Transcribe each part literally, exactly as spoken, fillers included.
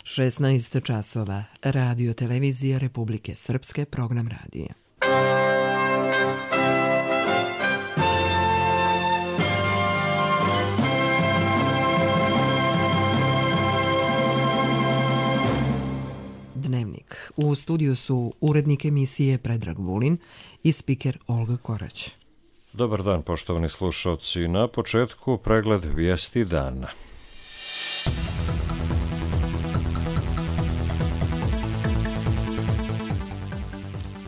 šesnaest časova. Radio televizija Republike Srpske, program radija. Dnevnik. U studiju su urednik emisije Predrag Vulin i spiker Olga Korać. Dobar dan, poštovani slušalci. Na početku pregled vijesti dana.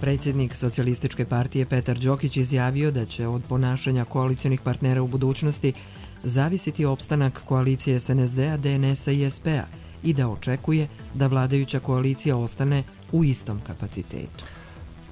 Predsjednik Socijalističke partije Petar Đokić izjavio da će od ponašanja koalicionih partnera u budućnosti zavisiti opstanak koalicije S N S D-a, D N S-a i S P-a i da očekuje da vladajuća koalicija ostane u istom kapacitetu.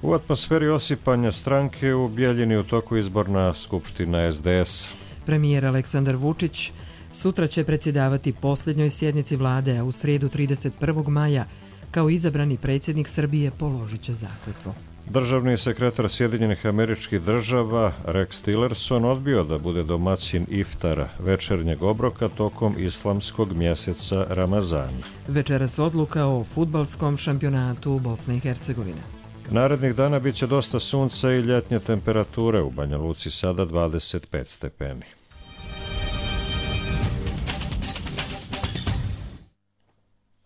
U atmosferi osipanja stranke u Bijeljini u toku izborna skupština S D S. Premijer Aleksandar Vučić sutra će predsjedavati posljednjoj sjednici vlade, a u srijedu trideset prvog maja kao izabrani predsjednik Srbije položit će zakletvu. Državni sekretar Sjedinjenih Američkih Država Rex Tillerson odbio da bude domaćin iftara, večernjeg obroka tokom islamskog mjeseca Ramazana. Večeras odluka o fudbalskom šampionatu Bosne i Hercegovine. Narednih dana bit će dosta sunca i ljetnje temperature, u Banja Luci sada dvadeset pet stepeni.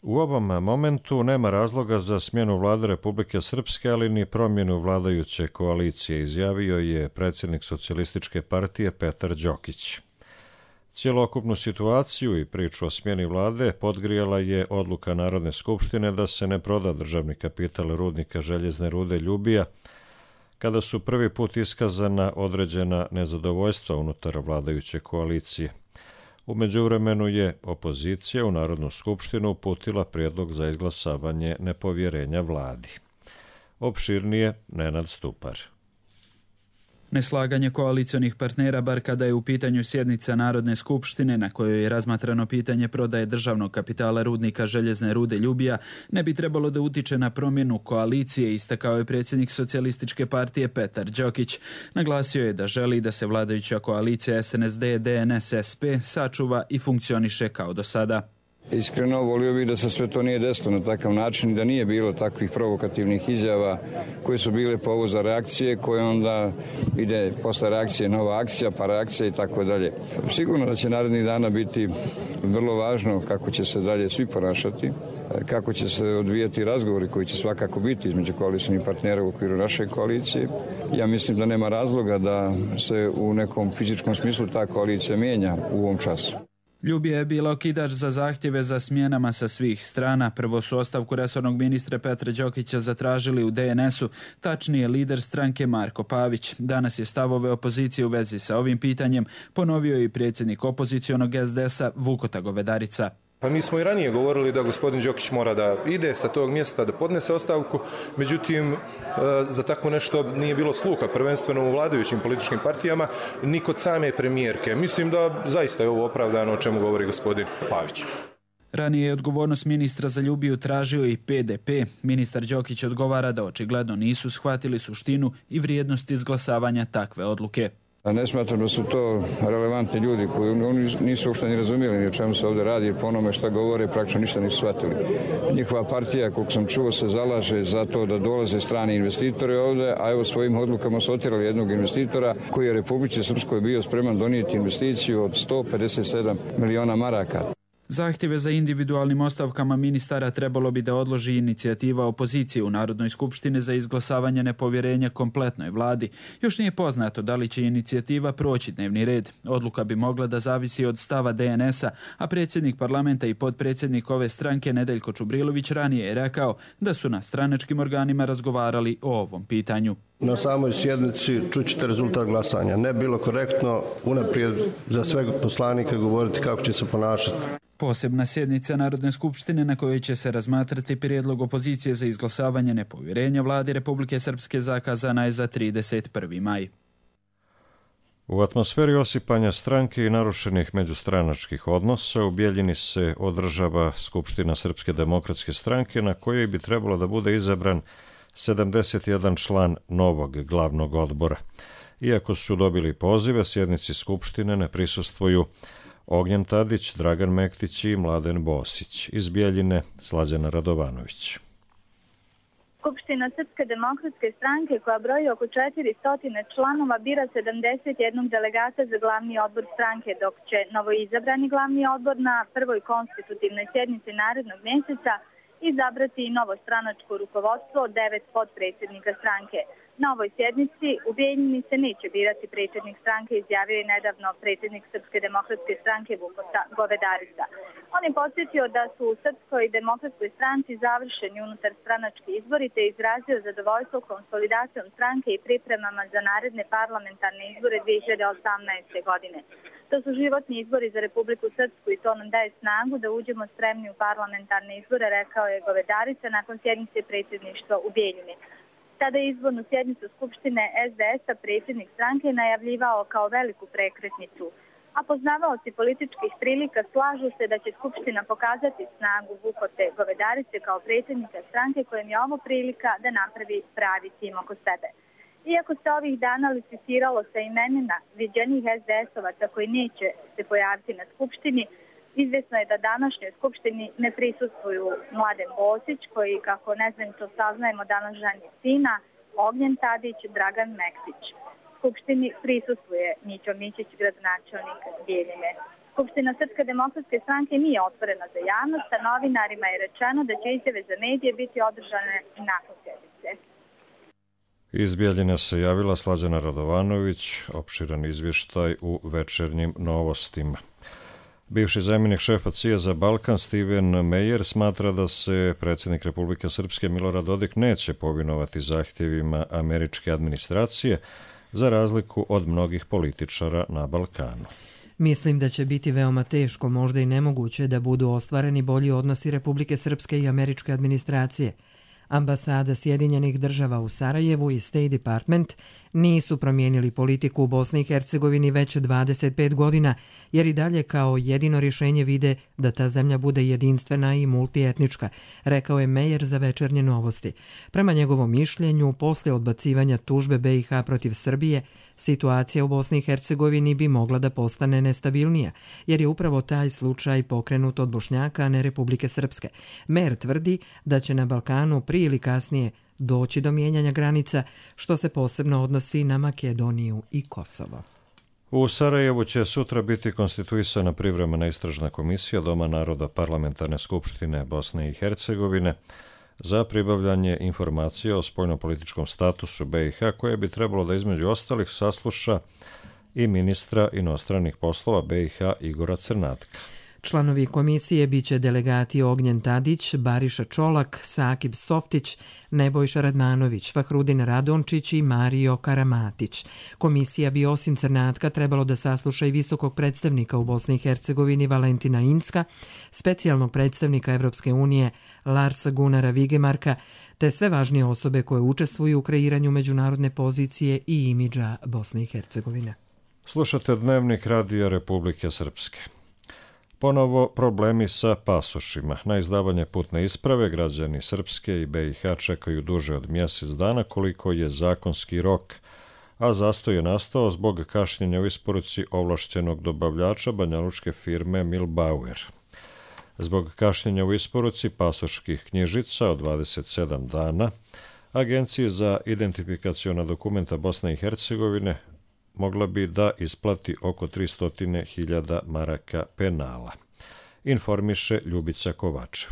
U ovom momentu nema razloga za smjenu vlade Republike Srpske, ali ni promjenu vladajuće koalicije, izjavio je predsjednik Socijalističke partije Petar Đokić. Cijelokupnu situaciju i priču o smjeni vlade podgrijala je odluka Narodne skupštine da se ne proda državni kapital rudnika željezne rude Ljubija, kada su prvi put iskazana određena nezadovoljstva unutar vladajuće koalicije. U međuvremenu je opozicija u Narodnu skupštinu uputila prijedlog za izglasavanje nepovjerenja vladi. Opširnije Nenad Stupar. Neslaganje koalicionih partnera, bar kada je u pitanju sjednica Narodne skupštine na kojoj je razmatrano pitanje prodaje državnog kapitala rudnika željezne rude Ljubija, ne bi trebalo da utiče na promjenu koalicije, istakao je predsjednik Socijalističke partije Petar Đokić. Naglasio je da želi da se vladajuća koalicija S N S D, D N S, S P sačuva i funkcioniše kao do sada. Iskreno volio bih da se sve to nije desilo na takav način i da nije bilo takvih provokativnih izjava koje su bile povod za reakcije, koje onda ide posle reakcije nova akcija, pa reakcija i tako dalje. Sigurno da će narednih dana biti vrlo važno kako će se dalje svi ponašati, kako će se odvijati razgovori koji će svakako biti između koalicijskih partnera u okviru naše koalicije. Ja mislim da nema razloga da se u nekom fizičkom smislu ta koalicija mijenja u ovom času. Ljubija je bila okidač za zahtjeve za smjenama sa svih strana. Prvo su ostavku resornog ministra Petra Đokića zatražili u D N S-u, tačnije lider stranke Marko Pavić. Danas je stavove opozicije u vezi sa ovim pitanjem ponovio i predsjednik opozicionog S D S-a Vukota Govedarica. Pa mi smo i ranije govorili da gospodin Đokić mora da ide sa tog mjesta, da podnese ostavku, međutim za tako nešto nije bilo sluha, prvenstveno u vladajućim političkim partijama, ni kod same premijerke. Mislim da zaista je ovo opravdano o čemu govori gospodin Pavić. Ranije je odgovornost ministra za Ljubiju tražio i P D P. Ministar Đokić odgovara da očigledno nisu shvatili suštinu i vrijednost izglasavanja takve odluke. Ne smatram da su to relevantni ljudi koji oni nisu uopšte ni razumijeli ni o čemu se ovdje radi, jer po onome što govore praktično ništa nisu shvatili. Njihova partija, koliko sam čuo, se zalaže za to da dolaze strani investitori ovdje, a evo svojim odlukama su otjerali jednog investitora koji je Republici Srpskoj bio spreman donijeti investiciju od sto pedeset sedam miliona maraka. Zahtjeve za individualnim ostavkama ministara trebalo bi da odloži inicijativa opozicije u Narodnoj skupštini za izglasavanje nepovjerenja kompletnoj vladi. Još nije poznato da li će inicijativa proći dnevni red. Odluka bi mogla da zavisi od stava D N S-a, a predsjednik parlamenta i potpredsjednik ove stranke Nedeljko Čubrilović ranije je rekao da su na stranačkim organima razgovarali o ovom pitanju. Na samoj sjednici čućete rezultat glasanja. Ne bilo korektno unaprijed za sve poslanike govoriti kako će se ponašati. Posebna sjednica Narodne skupštine na kojoj će se razmatrati prijedlog opozicije za izglasavanje nepovjerenja vladi Republike Srpske zakazana je za trideset prvi maj. U atmosferi osipanja stranke i narušenih međustranačkih odnosa u Bijeljini se održava Skupština Srpske demokratske stranke na kojoj bi trebalo da bude izabran sedamdeset jedan član novog glavnog odbora. Iako su dobili pozive, sjednici Skupštine ne prisustvuju Ognjen Tadić, Dragan Mektić i Mladen Bosić. Iz Bijeljine Slađana Radovanović. Skupština Srpske demokratske stranke, koja broji oko četiristo članova, bira sedamdeset jedan delegata za glavni odbor stranke, dok će novoizabrani glavni odbor na prvoj konstitutivnoj sjednici narednog mjeseca izabrati i novo stranačko rukovodstvo od devet podpredsjednika stranke. Na ovoj sjednici u Bijeljini se neće birati predsjednik stranke, izjavio je nedavno predsjednik Srpske demokratske stranke Vuko Govedarica. On je podsjetio da su u Srpskoj demokratskoj stranci završeni unutar stranački izbori te izrazio zadovoljstvo konsolidacijom stranke i pripremama za naredne parlamentarne izbore dvije hiljade osamnaeste. godine. To su životni izbori za Republiku Srpsku i to nam daje snagu da uđemo spremni u parlamentarne izbore, rekao je Govedarica nakon sjednice predsjedništva u Bijeljini. Tada je izbornu sjednicu Skupštine es de es-a predsjednik stranke najavljivao kao veliku prekretnicu. A poznavaoci političkih prilika slažu se da će Skupština pokazati snagu Vukote Govedarice kao predsjednika stranke, kojem je ovo prilika da napravi pravi tim oko sebe. Iako se ovih dana licitiralo sa imenima viđenih es de es-ovaca koji neće se pojaviti na Skupštini, izvjesno je da današnjoj Skupštini ne prisustvuju Mladen Bosić, koji, kako ne znam to saznajemo, danas ženi sina, Ognjen Tadić, Dragan Mektić. Skupštini prisustvuje Mićo Mićić, gradonačelnik Bijeljine. Skupština Srpske demokratske stranke nije otvorena za javnost, a novinarima je rečeno da će izjave za medije biti održane nakon sjednice. Iz Bijeljine se javila Slađana Radovanović, opširan izvještaj u Večernjim novostima. Bivši zamjenik šefa C I A za Balkan Steven Meyer smatra da se predsjednik Republike Srpske Milorad Dodik neće povinovati zahtjevima američke administracije za razliku od mnogih političara na Balkanu. Mislim da će biti veoma teško, možda i nemoguće, da budu ostvareni bolji odnosi Republike Srpske i američke administracije. Ambasada Sjedinjenih država u Sarajevu i State Department nisu promijenili politiku u Bosni i Hercegovini već dvadeset pet godina, jer i dalje kao jedino rješenje vide da ta zemlja bude jedinstvena i multietnička, rekao je Meyer za Večernje novosti. Prema njegovom mišljenju, posle odbacivanja tužbe be i ha protiv Srbije, situacija u Bosni i Hercegovini bi mogla da postane nestabilnija, jer je upravo taj slučaj pokrenut od Bošnjaka, a ne Republike Srpske. Meyer tvrdi da će na Balkanu prije ili kasnije doći do mijenjanja granica, što se posebno odnosi na Makedoniju i Kosovo. U Sarajevu će sutra biti konstituisana privremena istražna komisija Doma naroda Parlamentarne skupštine Bosne i Hercegovine za pribavljanje informacija o spoljnopolitičkom statusu be i ha, koje bi trebalo da između ostalih sasluša i ministra inostranih poslova be i ha Igora Crnatka. Članovi komisije biće delegati Ognjen Tadić, Bariša Čolak, Sakib Softić, Nebojša Radmanović, Fahrudin Radončić i Mario Karamatić. Komisija bi osim Crnatka trebalo da sasluša i visokog predstavnika u Bosni i Hercegovini Valentina Inska, specijalnog predstavnika Evropske unije Larsa Gunara Vigemarka, te sve važnije osobe koje učestvuju u kreiranju međunarodne pozicije i imidža Bosne i Hercegovine. Slušate Dnevnik Radija Republike Srpske. Ponovo problemi sa pasošima. Na izdavanje putne isprave građani Srpske i be i ha čekaju duže od mjesec dana, koliko je zakonski rok, a zastoj je nastao zbog kašnjenja u isporuci ovlašćenog dobavljača banjalučke firme Milbauer. Zbog kašnjenja u isporuci pasoških knjižica od dvadeset sedam dana, Agenciji za identifikaciona dokumenta Bosne i Hercegovine mogla bi da isplati oko tristo hiljada maraka penala, informiše Ljubica Kovačev.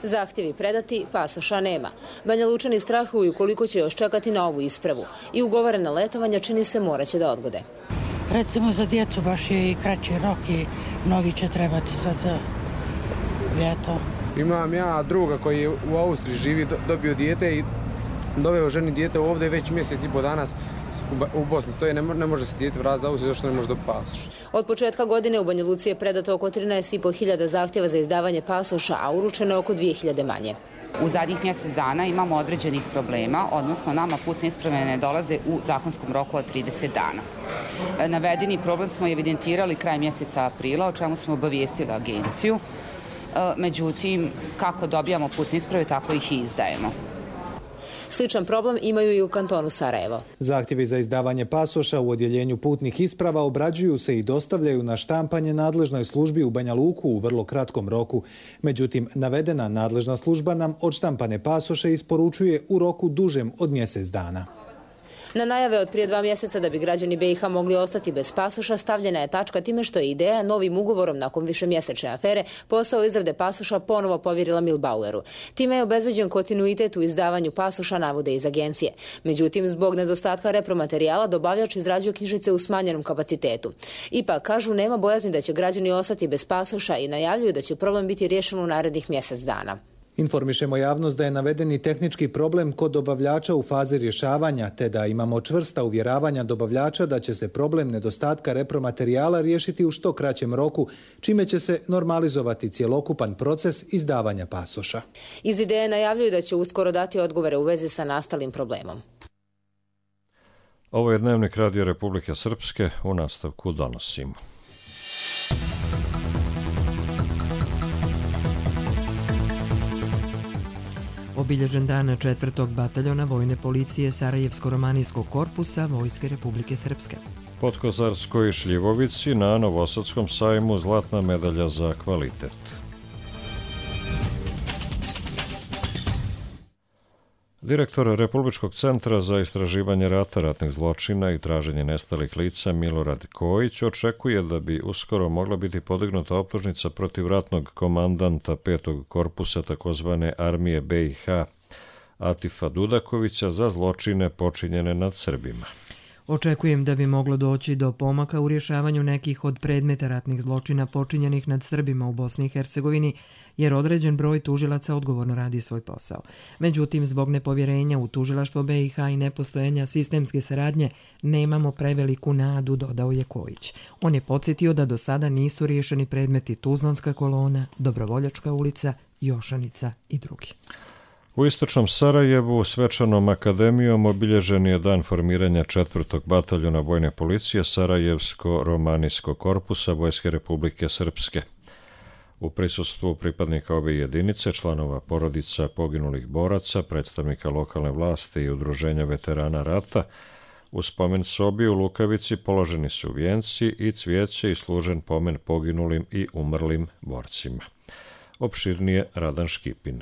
Zahtjevi predati, pasoša nema. Banja Lučani strahuju koliko će još čekati na ovu ispravu i ugovorena letovanja čini se moraće da odgode. Recimo za djecu baš je i kraći rok i mnogi će trebati sad za ljeto. Imam ja druga koji u Austriji živi, dobio dijete i doveo ženi dijete ovdje već mjesec i po danas u Bosni stoje, ne, ne može se dijete vratiti za Austriju, zašto ne može dobiti pasoš. Od početka godine u Banja Luci je predato oko trinaest i po hiljada zahtjeva za izdavanje pasoša, a uručeno oko dvije hiljade manje. U zadnjih mjesec dana imamo određenih problema, odnosno nama putne isprave ne dolaze u zakonskom roku od trideset dana. Navedeni problem smo evidentirali kraj mjeseca aprila, o čemu smo obavijestili agenciju. Međutim, kako dobijamo putne isprave, tako ih i izdajemo. Sličan problem imaju i u kantonu Sarajevo. Zahtjevi za izdavanje pasoša u odjeljenju putnih isprava obrađuju se i dostavljaju na štampanje nadležnoj službi u Banja Luku u vrlo kratkom roku. Međutim, navedena nadležna služba nam odštampane pasoše isporučuje u roku dužem od mjesec dana. Na najave od prije dva mjeseca da bi građani B i H mogli ostati bez pasoša stavljena je tačka time što je ideja novim ugovorom nakon višemjesečne afere posao izrade pasoša ponovo povjerila Milbaueru. Time je obezbeđen kontinuitet u izdavanju pasoša, navode iz agencije. Međutim, zbog nedostatka repromaterijala dobavljač izrađuje knjižice u smanjenom kapacitetu. Ipak, kažu, nema bojazni da će građani ostati bez pasoša i najavljuju da će problem biti riješen u narednih mjesec dana. Informišemo javnost da je navedeni tehnički problem kod dobavljača u fazi rješavanja, te da imamo čvrsta uvjeravanja dobavljača da će se problem nedostatka repromaterijala riješiti u što kraćem roku, čime će se normalizovati cjelokupan proces izdavanja pasoša. Iz ideje najavljuju da će uskoro dati odgovore u vezi sa nastalim problemom. Ovo je Dnevnik Radio Republike Srpske, u nastavku donosimo. Obilježen dan četvrtog bataljona Vojne policije Sarajevsko-romanijskog korpusa Vojske Republike Srpske. Podkozarskoj Šljivovici na Novosadskom sajmu zlatna medalja za kvalitet. Direktor Republičkog centra za istraživanje rata, ratnih zločina i traženje nestalih lica Milorad Kojić očekuje da bi uskoro mogla biti podignuta optužnica protiv ratnog komandanta petog korpusa takozvane armije B i H Atifa Dudakovića za zločine počinjene nad Srbima. Očekujem da bi moglo doći do pomaka u rješavanju nekih od predmeta ratnih zločina počinjenih nad Srbima u Bosni i Hercegovini, jer određen broj tužilaca odgovorno radi svoj posao. Međutim, zbog nepovjerenja u tužilaštvo B i H i nepostojanja sistemske saradnje, nemamo preveliku nadu, dodao je Kojić. On je podsjetio da do sada nisu riješeni predmeti Tuzlanska kolona, Dobrovoljačka ulica, Jošanica i drugi. U istočnom Sarajevu svečanom akademijom obilježen je dan formiranja četvrtog bataljona Vojne policije Sarajevsko-romanijskog korpusa Vojske Republike Srpske. U prisustvu pripadnika ove jedinice, članova porodica poginulih boraca, predstavnika lokalne vlasti i udruženja veterana rata, u spomen sobi u Lukavici položeni su vijenci i cvijeće i služen pomen poginulim i umrlim borcima. Opširnije Radan Škipin.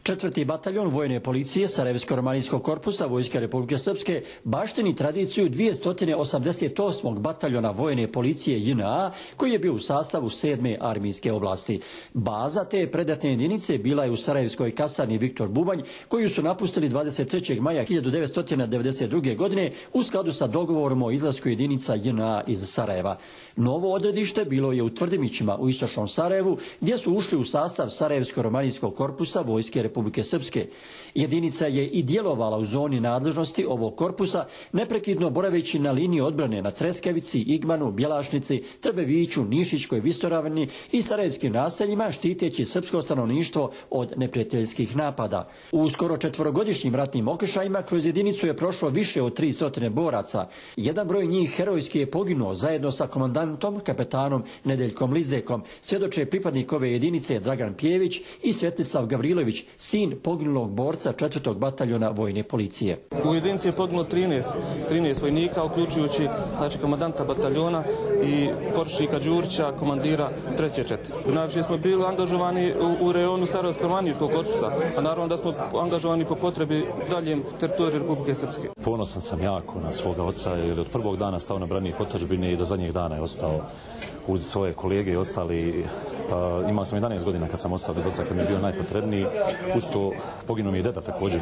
Četvrti bataljon Vojne policije Sarajevsko-romanijskog korpusa Vojske Republike Srpske baštini tradiciju dvjesto osamdeset osmog bataljona Vojne policije J N A koji je bio u sastavu sedme armijske oblasti. Baza te predatne jedinice bila je u Sarajevskoj kasarni Viktor Bubanj, koju su napustili dvadeset trećeg maja hiljadu devetsto devedeset druge. godine u skladu sa dogovorom o izlasku jedinica J N A iz Sarajeva. Novo odredište bilo je u Tvrdimićima u istočnom Sarajevu, gdje su ušli u sastav Sarajevsko-romanijskog korpusa Vojske Republike Srpske. Jedinica je i djelovala u zoni nadležnosti ovog korpusa, neprekidno boraveći na liniji odbrane na Treskavici, Igmanu, Bjelašnici, Trbeviću, Nišićkoj visoravni i sarajevskim naseljima, štiteći srpsko stanovništvo od neprijateljskih napada. U skoro četvorogodišnjim ratnim okršajima kroz jedinicu je prošlo više od tristo boraca. Jedan broj njih herojski je poginuo zajedno sa komandantom, kapetanom Nedeljkom Lizdekom, svjedoče pripadnik ove jedinice Dragan Pjević i Svetislav Gavrilović, sin poginulog borca četvrtog bataljona Vojne policije. U jedinici je poginulo trinaest, trinaest vojnika, uključujući znači, komandanta bataljona i poručnika Đurića, komandira treće čete. Znači smo bili angažovani u, u rejonu Sarajevsko-romanijskog korpusa, a naravno da smo angažovani po potrebi daljem teritoriju Republike Srpske. Ponosan sam jako na svoga oca, jer od prvog dana stao na branik otadžbine i do zadnjeg dana je ostao uz svoje kolege i ostali. Pa, imao sam jedanaest godina kad sam ostao bez oca, kad mi je bio najpotrebniji. Uz to poginuo mi je deda također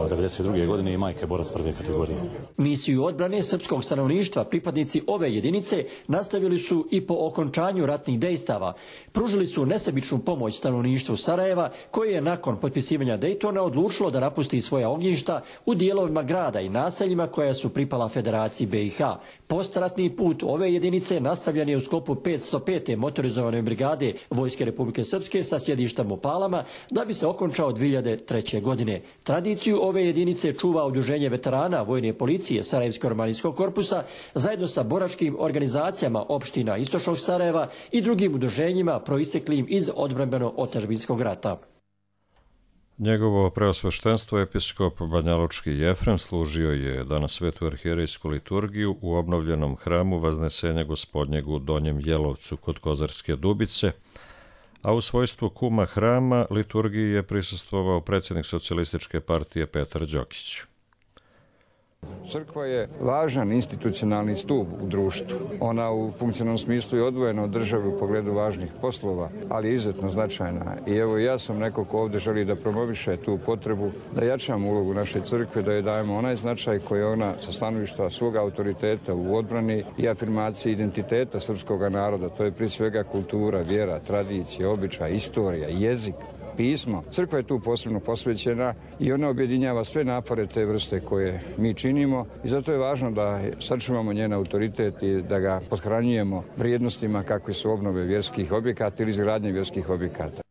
devedeset druge. godine i majke borac prve kategorije. Misiju odbrane srpskog stanovništva pripadnici ove jedinice nastavili su i po okončanju ratnih dejstava. Pružili su nesebičnu pomoć stanovništvu Sarajeva, koje je nakon potpisivanja Dejtona odlučilo da napusti svoja ognjišta u dijelovima grada i naseljima koja su pripala Federaciji B i H. Postratni put ove jedinice nastavljen je u sklopu petsto pete motorizovane brigade Vojske Republike Srpske sa sjedištem u Palama, da bi se okončao dvije hiljade treće. godine. Tradiciju ove jedinice čuva Udruženje veterana Vojne policije Sarajevsko-romanijskog korpusa zajedno sa boračkim organizacijama opština istočnog Sarajeva i drugim udruženjima proisteklim iz odbrambeno-otadžbinskog rata. Njegovo preosveštenstvo episkop Banjalučki Jefrem služio je danas svetu arhijerejsku liturgiju u obnovljenom hramu Vaznesenja Gospodnjeg u Donjem Jelovcu kod Kozarske Dubice, a u svojstvu kuma hrama liturgiji je prisustvovao predsjednik Socijalističke partije Petar Đokić. Crkva je važan institucionalni stup u društvu. Ona u funkcionalnom smislu je odvojena od države u pogledu važnih poslova, ali je izuzetno značajna. I evo ja sam neko ko ovdje želi da promoviše tu potrebu, da jačamo ulogu naše crkve, da joj dajemo onaj značaj koji ona sa stanovišta svoga autoriteta u odbrani i afirmaciji identiteta srpskog naroda. To je prije svega kultura, vjera, tradicija, običaj, istorija, jezik, pismo. Crkva je tu posebno posvećena i ona objedinjava sve napore te vrste koje mi činimo i zato je važno da sačuvamo njen autoritet i da ga pothranjujemo vrijednostima kakve su obnove vjerskih objekata ili izgradnje vjerskih objekata.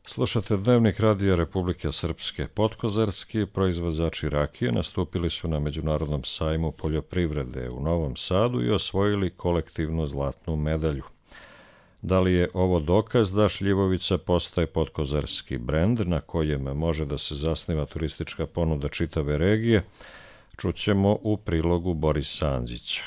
Slušate Dnevnik Radija Republike Srpske. Podkozarski proizvođači rakije nastupili su na Međunarodnom sajmu poljoprivrede u Novom Sadu i osvojili kolektivnu zlatnu medalju. Da li je ovo dokaz da šljivovica postaje podkozarski brend na kojem može da se zasniva turistička ponuda čitave regije, čućemo u prilogu Borisa Anđića.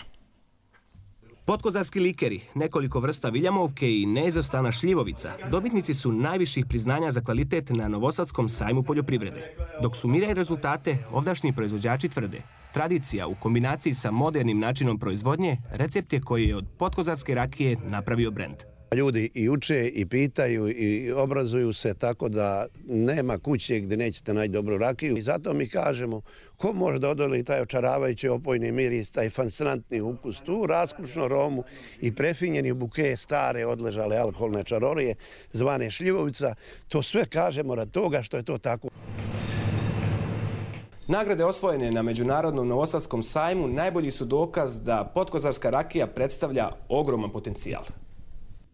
Podkozarski likeri, nekoliko vrsta viljamovke i neizostana šljivovica dobitnici su najviših priznanja za kvalitet na Novosadskom sajmu poljoprivrede. Dok sumiraju rezultate, ovdašnji proizvođači tvrde: tradicija u kombinaciji sa modernim načinom proizvodnje recept je koji je od podkozarske rakije napravio brend. Ljudi i uče i pitaju i obrazuju se, tako da nema kuće gdje nećete naći dobru rakiju. I zato mi kažemo, ko može da odoli taj očaravajući opojni miris, taj fascinantni ukus, tu raskušnu aromu i prefinjeni buke stare odležale alkoholne čarorije zvane šljivovica, to sve kažemo radi toga što je to tako. Nagrade osvojene na Međunarodnom Novosadskom sajmu najbolji su dokaz da podkozarska rakija predstavlja ogroman potencijal.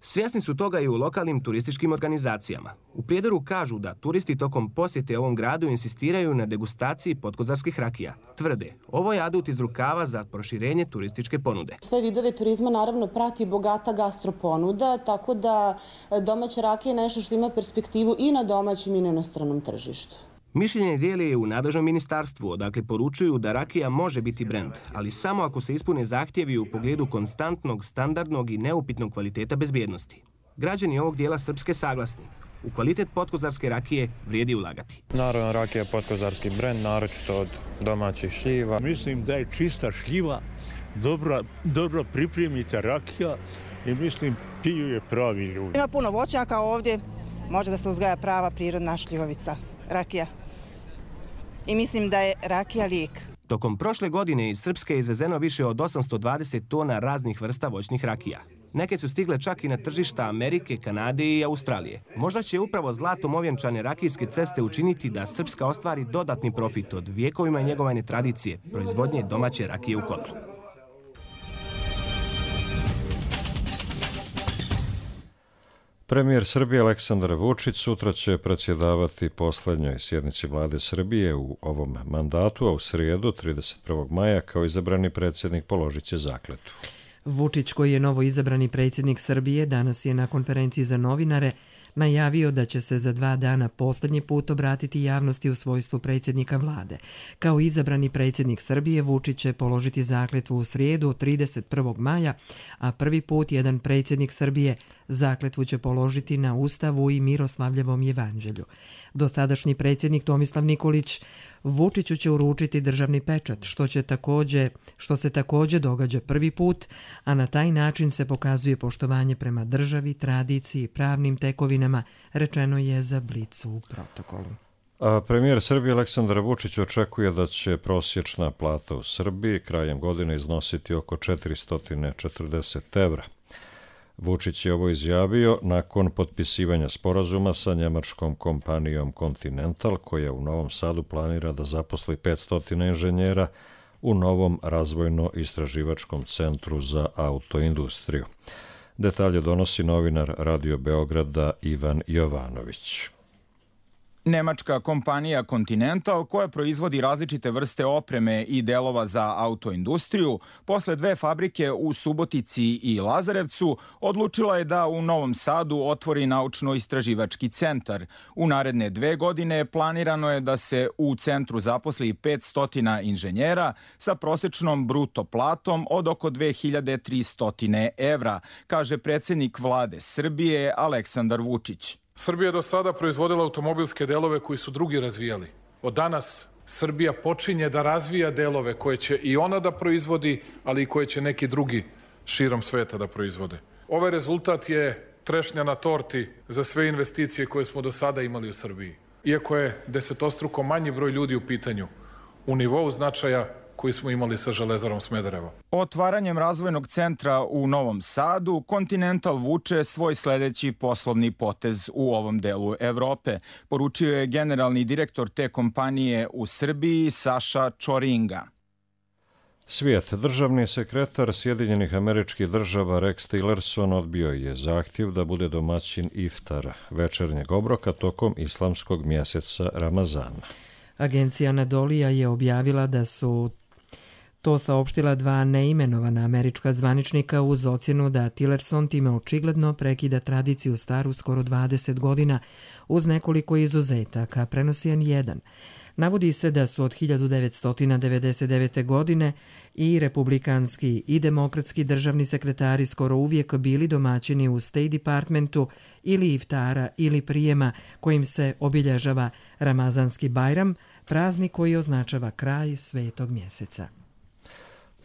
Svjesni su toga i u lokalnim turističkim organizacijama. U Prijedoru kažu da turisti tokom posjete ovom gradu insistiraju na degustaciji podkozarskih rakija. Tvrde, ovo je adut iz rukava za proširenje turističke ponude. Sve vidove turizma naravno prati bogata gastroponuda, tako da domaća rakija je nešto što ima perspektivu i na domaćem i na inostranom tržištu. Mišljenje dijeli je u nadležnom ministarstvu, odakle poručuju da rakija može biti brend, ali samo ako se ispune zahtjevi u pogledu konstantnog, standardnog i neupitnog kvaliteta bezbjednosti. Građani ovog dijela Srpske saglasni. U kvalitet podkozarske rakije vrijedi ulagati. Naravno, rakija je podkozarski brend, naročito od domaćih šljiva. Mislim da je čista šljiva, dobro, dobro pripremite rakija i mislim piju je pravi ljudi. Ima puno voćnjaka ovdje, može da se uzgaja prava prirodna šljivovica, rakija. I mislim da je rakija lijek. Tokom prošle godine iz Srpske je izvezeno više od osamsto dvadeset tona raznih vrsta voćnih rakija. Neke su stigle čak i na tržišta Amerike, Kanade i Australije. Možda će upravo zlatom ovjenčane rakijske ceste učiniti da Srpska ostvari dodatni profit od vjekovima njegovane tradicije, proizvodnje domaće rakije u kotlu. Premijer Srbije Aleksandar Vučić sutra će predsjedavati posljednjoj sjednici vlade Srbije u ovom mandatu, a u srijedu trideset prvog maja kao izabrani predsjednik položit će zakletvu. Vučić, koji je novo izabrani predsjednik Srbije, danas je na konferenciji za novinare najavio da će se za dva dana posljednji put obratiti javnosti u svojstvu predsjednika vlade. Kao izabrani predsjednik Srbije, Vučić će položiti zakletvu u srijedu trideset prvog maja, a prvi put jedan predsjednik Srbije zakletvu će položiti na Ustavu i Miroslavljevom jevanđelju. Dosadašnji predsjednik Tomislav Nikolić Vučiću će uručiti državni pečat, što, će također, što se također događa prvi put, a na taj način se pokazuje poštovanje prema državi, tradiciji i pravnim tekovinama, rečeno je za Blicu u protokolu. A premijer Srbije Aleksandar Vučić očekuje da će prosječna plata u Srbiji krajem godine iznositi oko četiristo četrdeset evra. Vučić je ovo izjavio nakon potpisivanja sporazuma sa njemačkom kompanijom Continental, koja u Novom Sadu planira da zaposli petsto inženjera u novom razvojno-istraživačkom centru za autoindustriju. Detalje donosi novinar Radio Beograda Ivan Jovanović. Nemačka kompanija Continental, koja proizvodi različite vrste opreme i delova za autoindustriju, posle dve fabrike u Subotici i Lazarevcu, odlučila je da u Novom Sadu otvori naučno-istraživački centar. U naredne dve godine planirano je da se u centru zaposli petsto inženjera sa prosečnom bruto platom od oko dve hiljade tristo evra, kaže predsjednik vlade Srbije Aleksandar Vučić. Srbija je do sada proizvodila automobilske delove koji su drugi razvijali. Od danas Srbija počinje da razvija delove koje će i ona da proizvodi, ali i koje će neki drugi širom sveta da proizvode. Ovaj rezultat je trešnja na torti za sve investicije koje smo do sada imali u Srbiji. Iako je desetostruko manji broj ljudi u pitanju, u nivou značaja koji smo imali sa Železarom Smederevo. Otvaranjem razvojnog centra u Novom Sadu, Continental vuče svoj sledeći poslovni potez u ovom delu Evrope, poručio je generalni direktor te kompanije u Srbiji Saša Čoringa. Svijet. Državni sekretar Sjedinjenih Američkih Država Rex Tillerson odbio je zahtjev da bude domaćin iftara, večernjeg obroka tokom islamskog mjeseca Ramazana. Agencija Anadolija je objavila da su to saopštila dva neimenovana američka zvaničnika uz ocjenu da Tillerson time očigledno prekida tradiciju staru skoro dvadeset godina uz nekoliko izuzetaka, prenosi en jedan. Navodi se da su od hiljadu devetsto devedeset devete. godine i republikanski i demokratski državni sekretari skoro uvijek bili domaćini u State Departmentu ili iftara ili prijema kojim se obilježava Ramazanski Bajram, praznik koji označava kraj svetog mjeseca.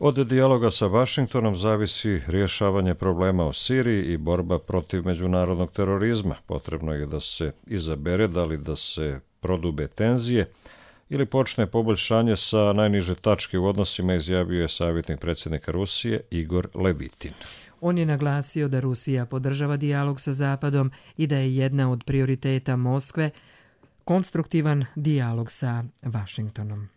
Od dijaloga sa Vašingtonom zavisi rješavanje problema u Siriji i borba protiv međunarodnog terorizma. Potrebno je da se izabere da li da se prodube tenzije ili počne poboljšanje sa najniže tačke u odnosima, izjavio je savjetnik predsjednika Rusije Igor Levitin. On je naglasio da Rusija podržava dijalog sa Zapadom i da je jedna od prioriteta Moskve konstruktivan dijalog sa Vašingtonom.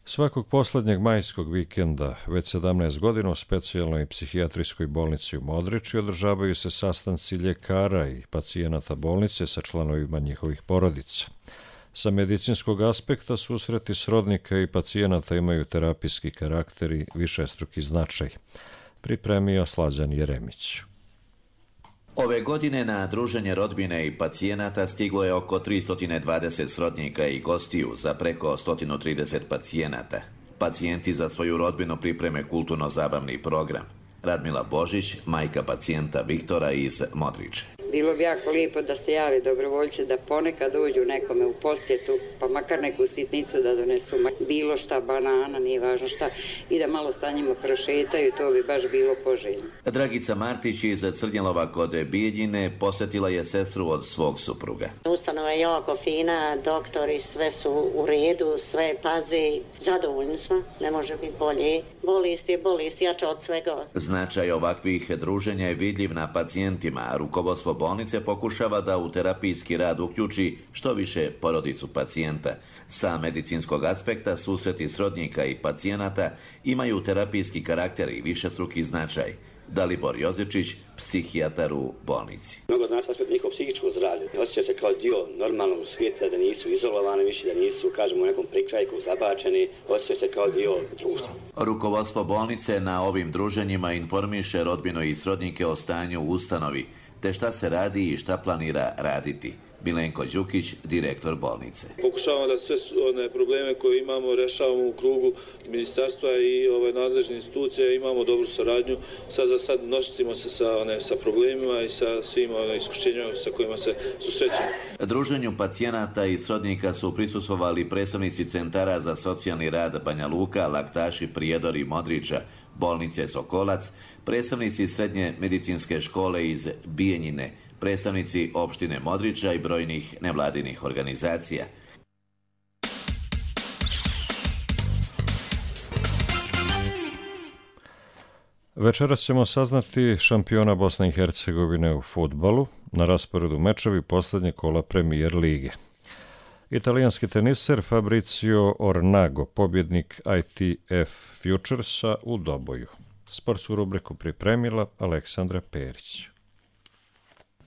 Svakog posljednjeg majskog vikenda, već sedamnaest godina, u specijalnoj psihijatrijskoj bolnici u Modriči održavaju se sastanci ljekara i pacijenata bolnice sa članovima njihovih porodica. Sa medicinskog aspekta susreti srodnika i pacijenata imaju terapijski karakter i višestruki značaj, pripremio Slađan Jeremić. Ove godine na druženje rodbine i pacijenata stiglo je oko tristo dvadeset srodnika i gostiju za preko sto trideset pacijenata. Pacijenti za svoju rodbinu pripreme kulturno-zabavni program. Radmila Božić, majka pacijenta Viktora iz Modriče. Bilo bi jako lijepo da se javi dobrovoljci da ponekad dođu nekome u posjetu, pa makar neku sitnicu da donesu, bilo šta, banana, nije važno šta, i da malo sa njima prošetaju, to bi baš bilo poželjno. Dragica Martić iz Crnjelova kod Bijeljine posjetila je sestru od svog supruga. Ustanova je jako fina, doktori sve su u redu, sve pazi, zadovoljni smo, ne može biti bolje. Bolest je bolest, jača od svega. Značaj ovakvih druženja je vidljiv na pacijentima, a rukovodstvo bolnice pokušava da u terapijski rad uključi što više porodicu pacijenta. Sa medicinskog aspekta susreti srodnika i pacijenata imaju terapijski karakter i višestruki značaj. Dalibor Jozičić, psihijatar u bolnici. Mnogo znači aspekt njihovo psihičko zdravlje. Osjeća se kao dio normalnog svijeta, da nisu izolovani više, da nisu, kažemo, u nekom prikrajku zabačeni, osjeća se kao dio društva. Rukovodstvo bolnice na ovim druženjima informiše rodbinu i srodnike o stanju u ustanovi, te šta se radi i šta planira raditi. Milenko Đukić, direktor bolnice. Pokušavamo da sve one probleme koje imamo rešavamo u krugu ministarstva i ove nadležne institucije, imamo dobru saradnju. Sad za sad nosimo se sa, one, sa problemima i sa svim one, iskušenjima sa kojima se susrećemo. Druženju pacijenata i srodnika su prisustvovali predstavnici centara za socijalni rad Banja Luka, Laktaši, Prijedor i Modriča, bolnice Sokolac, predstavnici srednje medicinske škole iz Bijeljine, predstavnici opštine Modriča i brojnih nevladinih organizacija. Večeras ćemo saznati šampiona Bosne i Hercegovine u fudbalu, na rasporedu mečevi posljednje kola Premier lige. Italijanski teniser Fabrizio Ornago, pobjednik I T F Futuresa u doboju. Sportsku rubriku pripremila Aleksandra Perić.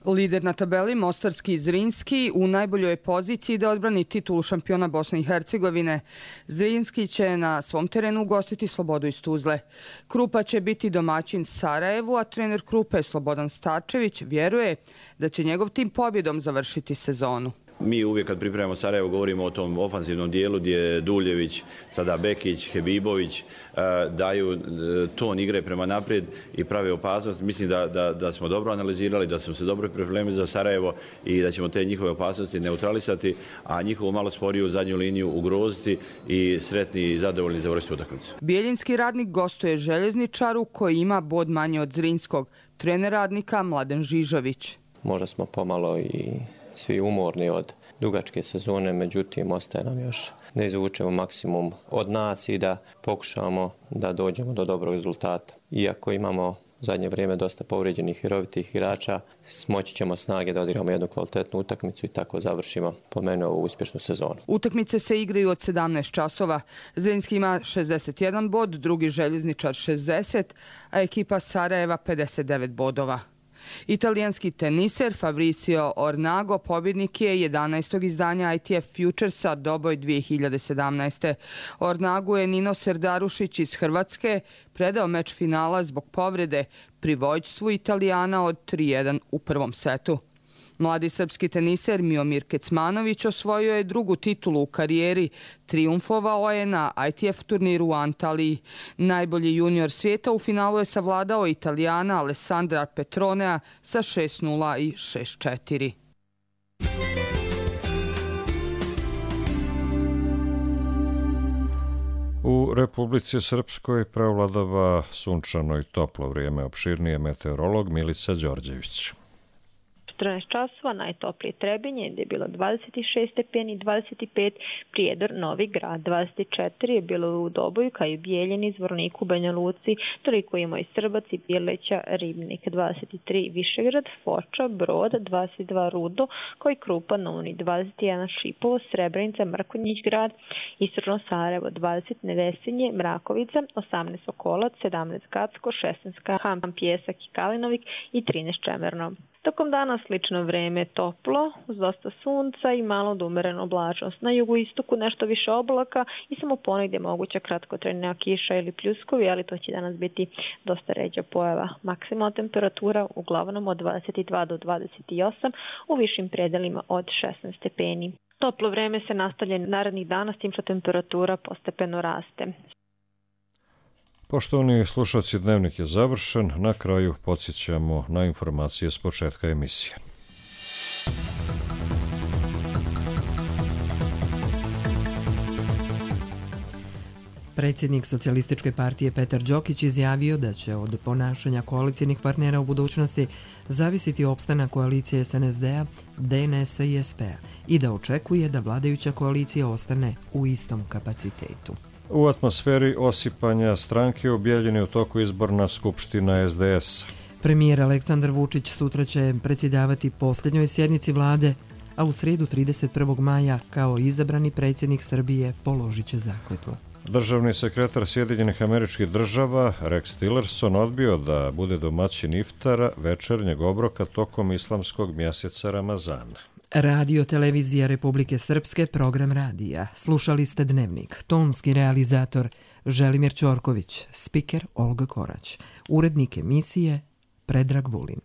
Lider na tabeli Mostarski Zrinski u najboljoj poziciji da odbrani titulu šampiona Bosne i Hercegovine. Zrinski će na svom terenu ugostiti Slobodu iz Tuzle. Krupa će biti domaćin Sarajevu, a trener Krupe Slobodan Starčević vjeruje da će njegov tim pobjedom završiti sezonu. Mi uvijek kad pripremamo Sarajevo govorimo o tom ofanzivnom dijelu gdje Duljević, sada Bekić, Hebibović daju ton igre prema naprijed i prave opasnost. Mislim da, da, da smo dobro analizirali, da smo se dobro pripremili za Sarajevo i da ćemo te njihove opasnosti neutralisati, a njihovu malo sporiju zadnju liniju ugroziti i sretni i zadovoljni završiti utakmicu. Bijeljinski Radnik gostuje Željezničaru koji ima bod manje od Zrinskog. Trener Radnika Mladen Žižović. Možda smo pomalo i svi umorni od dugačke sezone, međutim ostaje nam još da izvučemo maksimum od nas i da pokušamo da dođemo do dobrog rezultata. Iako imamo u zadnje vrijeme dosta povrijeđenih i rovitih igrača, smoći ćemo snage da odigramo jednu kvalitetnu utakmicu i tako završimo po meni ovu uspješnu sezonu. Utakmice se igraju od sedamnaest časova. Zrinski ima šezdeset jedan bod, drugi Željezničar šezdeset, a ekipa Sarajeva pedeset devet bodova. Italijanski teniser Fabrizio Ornago pobjednik je jedanaestog izdanja I T F Futuresa Doboj dvije hiljade sedamnaeste. Ornagu je Nino Serdarušić iz Hrvatske predao meč finala zbog povrede pri vođstvu Italijana od tri jedan u prvom setu. Mladi srpski teniser Miomir Kecmanović osvojio je drugu titulu u karijeri, trijumfovao je na I T F turniru u Antaliji. Najbolji junior svijeta u finalu je savladao Italijana Alessandra Petronea sa šest nula i šest četiri. U Republici Srpskoj prevladava sunčano i toplo vrijeme, opširnije meteorolog Milica Đorđević. četrnaest časova, najtoplije Trebinje gdje je bilo dvadeset šest stepeni, dvadeset pet Prijedor, Novi Grad, dvadeset četiri je bilo u Doboju, kao i Bijeljini, Zvorniku, Banja Luci, toliko ima i Srbac i Bjeleća, Ribnik, dvadeset tri Višegrad, Foča, Brod, dvadeset dva Rudo, kao i Krupa, Novni, dvadeset jedan Šipovo, Srebrenica, Mrkonjić Grad, Istočno Sarajevo, dvadeset Nevesinje, Mrakovica, osamnaest Sokolac, sedamnaest Gacko, šesnaest Ham, Pjesak i Kalinovik i trinaest Čemerno. Tokom dana slično vreme, toplo, uz dosta sunca i malo od umerenu oblačnost. Na jugoistoku nešto više oblaka i samo ponegdje moguća kratkotrajna kiša ili pljuskovi, ali to će danas biti dosta ređa pojava. Maksimalna temperatura uglavnom od dvadeset dva do dvadeset osam, u višim predelima od šesnaest stepeni. Toplo vreme se nastavlja narednih dana s tim što temperatura postepeno raste. Poštovani slušalci, dnevnik je završen. Na kraju podsjećamo na informacije s početka emisije. Predsjednik Socijalističke partije Petar Đokić izjavio da će od ponašanja koalicijnih partnera u budućnosti zavisiti opstanak koalicije S N S D-a, D N S-a i S P-a i da očekuje da vladajuća koalicija ostane u istom kapacitetu. U atmosferi osipanja stranke u Bijeljini u toku izborna skupština S D S. Premijer Aleksandar Vučić sutra će predsjedavati posljednjoj sjednici vlade, a u srijedu trideset prvog maja kao izabrani predsjednik Srbije položit će zakletvu. Državni sekretar Sjedinjenih Američkih Država Rex Tillerson odbio da bude domaćin iftara večernjeg obroka tokom islamskog mjeseca Ramazana. Radio Televizija Republike Srpske, program radija. Slušali ste Dnevnik. Tonski realizator Želimir Ćorković, spiker Olga Korać, urednik emisije Predrag Vulin.